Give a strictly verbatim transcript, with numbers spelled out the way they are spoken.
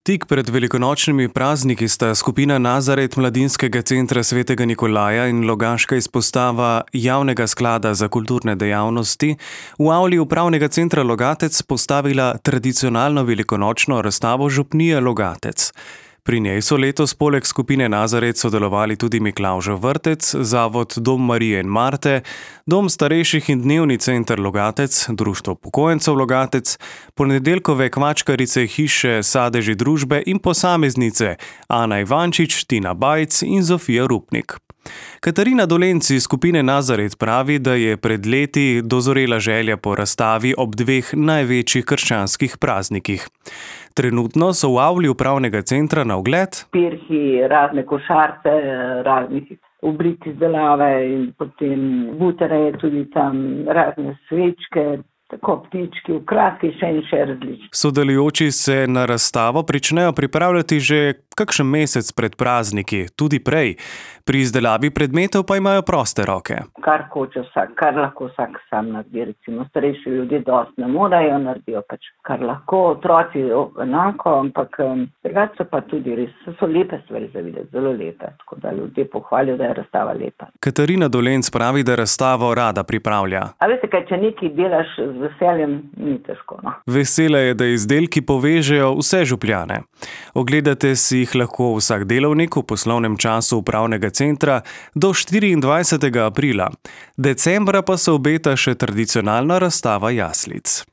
Tik pred velikonočnimi prazniki sta skupina Nazaret Mladinskega centra svetega Nikolaja in logaška izpostava Javnega sklada za kulturne dejavnosti v avli upravnega centra Logatec postavila tradicionalno velikonočno razstavo Župnije Logatec. Pri njej so letos poleg skupine Nazaret sodelovali tudi Miklavžev vrtec, zavod Dom Marije in Marte, Dom starejših in dnevni center Logatec, Društvo upokojencev Logatec, ponedeljkove kvačkarice hiše Sadeži družbe in posameznice Ana Ivančič, Tina Bajc in Zofija Rupnik. Katarina Dolenc iz skupine Nazaret pravi, da je pred leti dozorela želja po razstavi ob dveh največjih krščanskih praznikih. Trenutno so v avli upravnega centra na ogled pirhi, razne košarce, raznih oblik izdelave in potem butere, tudi tam razne svečke, tako ptički, okraski, še in še različni. Sodelujoči se na razstavo pričnejo pripravljati že kakšen mesec pred prazniki, tudi prej. Pri izdelavi predmetov pa imajo proste roke. Kar hoče vsak, kar lahko vsak sam naredi. Recimo starejši ljudje dosti ne morajo, naredijo pač kar lahko, otroci enako, ampak drugače so pa tudi res, so lepe stvari za videti, zelo lepe. Tako da ljudje pohvalijo, da je razstava lepa. Katarina Dolenc pravi, da razstavo rada pripravlja. A veste kaj, če nekaj delaš z veseljem, ni težko, no. Vesela je, da izdelki povežejo vse Župljane. Ogledate si jih lahko vsak delovnik v poslovnem času upravnega centra do štiriindvajsetega aprila. Decembra pa se obeta še tradicionalna razstava jaslic.